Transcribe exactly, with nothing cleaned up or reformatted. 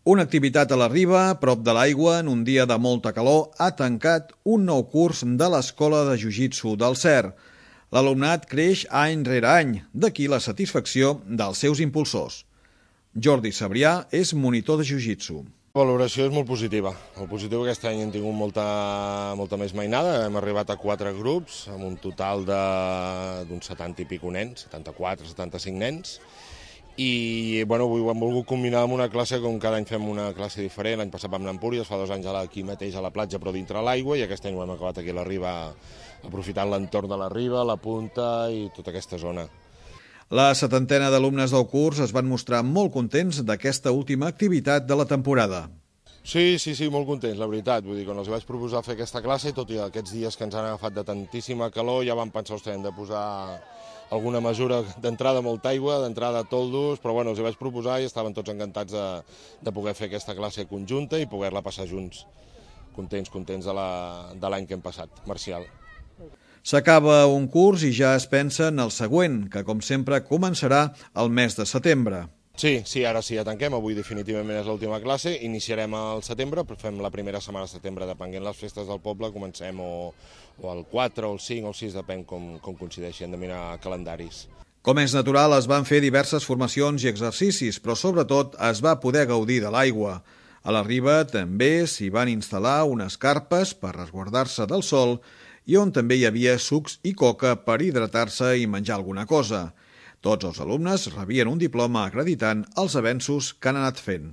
Una activitat a la riba, a prop de l'aigua, en un dia de molta calor, ha tancat un nou curs de l'Escola de Jiu-Jitsu del Cer. L'alumnat creix any rere any, d'aquí la satisfacció dels seus impulsors. Jordi Sabrià és monitor de Jiu-Jitsu. La valoració és molt positiva. El positiu aquest any hem tingut molta, molta més mainada, hem arribat a quatre grups, amb un total d'uns setanta i pico nens, setanta-quatre, setanta-cinc nens, i bueno, avui ho hem volgut combinar amb una classe, com cada any fem una classe diferent. L'any passat vam anar a Empúries, fa dos anys aquí mateix a la platja, però dintre l'aigua, i aquest any ho hem acabat aquí a la riba, aprofitant l'entorn de la riba, la punta i tota aquesta zona. La setantena d'alumnes del curs es van mostrar molt contents d'aquesta última activitat de la temporada. Sí, sí, sí, molt contents, la veritat. Vull dir, quan els vaig proposar fer aquesta classe, tot i aquests dies que ens han agafat de tantíssima calor, ja vam pensar que hem de posar alguna mesura d'entrada molta aigua, d'entrada toldos, però bueno, els vaig proposar i estaven tots encantats de, de poder fer aquesta classe conjunta i poder-la passar junts. Contents, contents de l'any que hem passat, Marcial. S'acaba un curs i ja es pensa en el següent, que com sempre començarà el mes de setembre. Sí, sí, ara sí, ja tanquem, avui definitivament és l'última classe, iniciarem al setembre, però fem la primera setmana de setembre, depenent les festes del poble, comencem o, o el quatre, o el cinc, o el sis, depèn com, com coincideixi, hem de mirar calendaris. Com és natural, es van fer diverses formacions i exercicis, però sobretot es va poder gaudir de l'aigua. A la riba també s'hi van instal·lar unes carpes per resguardar-se del sol i on també hi havia sucs i coca per hidratar-se i menjar alguna cosa. Tots els alumnes rebien un diploma acreditant els avenços que han anat fent.